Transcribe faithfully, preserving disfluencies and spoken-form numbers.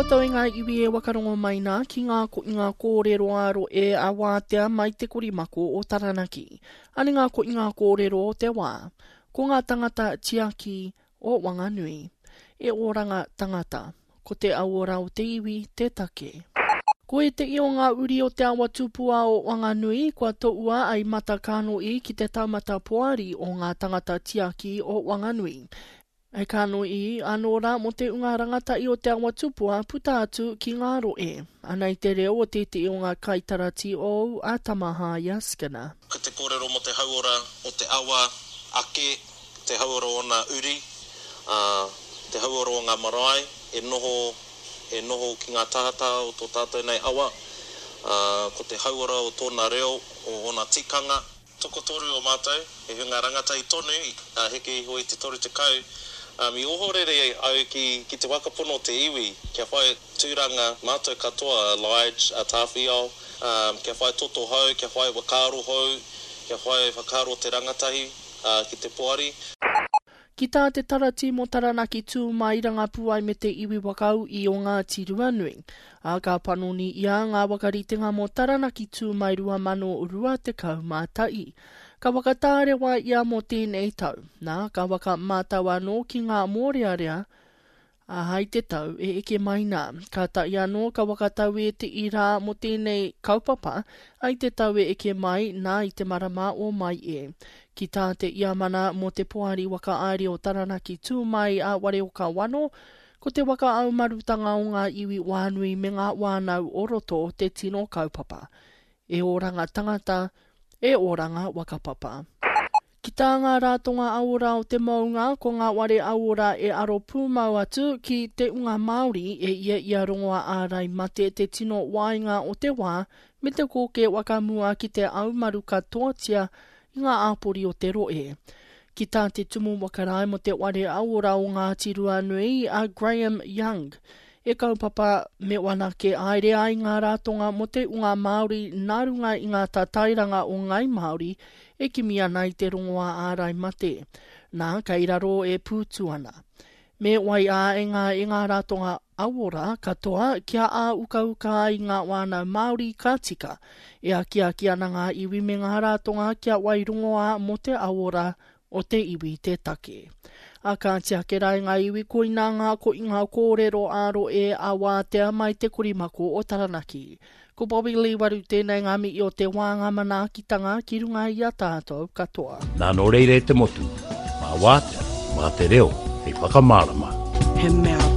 koutou e ngā iwi e wakarongo mai nā ki ngā koinga kōrero ā rohe a wātea mai te korimako o Taranaki. Ane ngā koinga kōrero o te wā. Ko ngā tangata tiaki o Wanganui. E oranga tangata. Ko te auora o te iwi te take. Ko ētehi o ngā uri o Te Awa Tupua o Wanganui kua toua ai Mata Kānoī ki te taumata poari o ngā tangata tiaki o Wanganui. Hei kānoī anō rā mō te unga rangatahi o Te Awa Tupua puta atu ki ngā rohe. Anei te reo o tētehi o ngā kaitarati ou a Tamahaia Skinner. Ko te kōrero mō te hauora o te awa ake, te hauora o ōna uri, ā, te hauora o ngā marae e noho, e noho ki ngā tahataha o tō tātou nei awa, ā, ko te hauora o tōna reo, o ōna tikanga. Tokotoru o mātou, he hunga rangatahi tonu, ā, heke iho i te toru tekau, ā, i ohorere au ki, ki te whakapono o te iwi, kia whai tūranga mātou katoa, a Lige, a Tāwhiao, ā, kia whai toto hou, kia whai whakaaro hou, kia whai whakaaro te rangatahi, ā, ki te poari. Ki tā te Tarati mō Taranaki Tū Mai Rangapū ai me te iwi whakaū o Ngāti Ruanui, ā, ka panoni ia ngā whakaritenga mō Taranaki Tū Mai rua mano rua tekau mā tahi. Ka whakatārewa ia mō tēnei tau, nā, ka whakamātau anō ki ngā mōrearea, ā, hai te tau e eke mai nā. Kātahi anō ka whakatau ētehi rā mō tēnei kaupapa, ai te tau e eke mai nā i te marama o Mai e. Ki tā te iamana mō te Poari Whakahaere o Taranaki Tū Mai a Wareoka Wano, ko te waka aumarutanga o ngā iwi wānui me ngā wānau o roto te tino kaupapa. E oranga tangata, e oranga whakapapa. Ki tā ngā rātonga auora o te mounga, ko ngā ware auora e aro pūmau atu ki te unga Māori e ia ia rongoa ārai mate te tino waenga o te wā me te kōke wakamua ki te aumaru katoatia i ngā āpori o te rohe. Ki tā te tumu whakarae mō te ware auora o Ngāti Ruanui a Graham Young, e kaupapa me wanake haere ai ngā rātonga mō te unga Māori nā runga i ngā tatairanga o Ngai Māori e kimi ana i te rongoā ārai mate, nā kei raro e pūtu ana. Me wai ā e ngā e ngā rātonga auora katoa kia āukauka ai ngā whānau Māori ka tika. E akiaki ana ngā iwi me ngā rātonga kia wai rongoā mō te auora o te iwi te take. A kāti ake rā e ngā iwi koinā ngā koinga kōrero ā-rohe a wātea mai te korimako o Taranaki. Ko Bobby Lee Waru tēnei ngā mihi o te wā ngā manaakitanga ki runga i a tātou katoa. Nā nō reira e te motu, mā wātea, mā te reo, hei whakamārama. He mea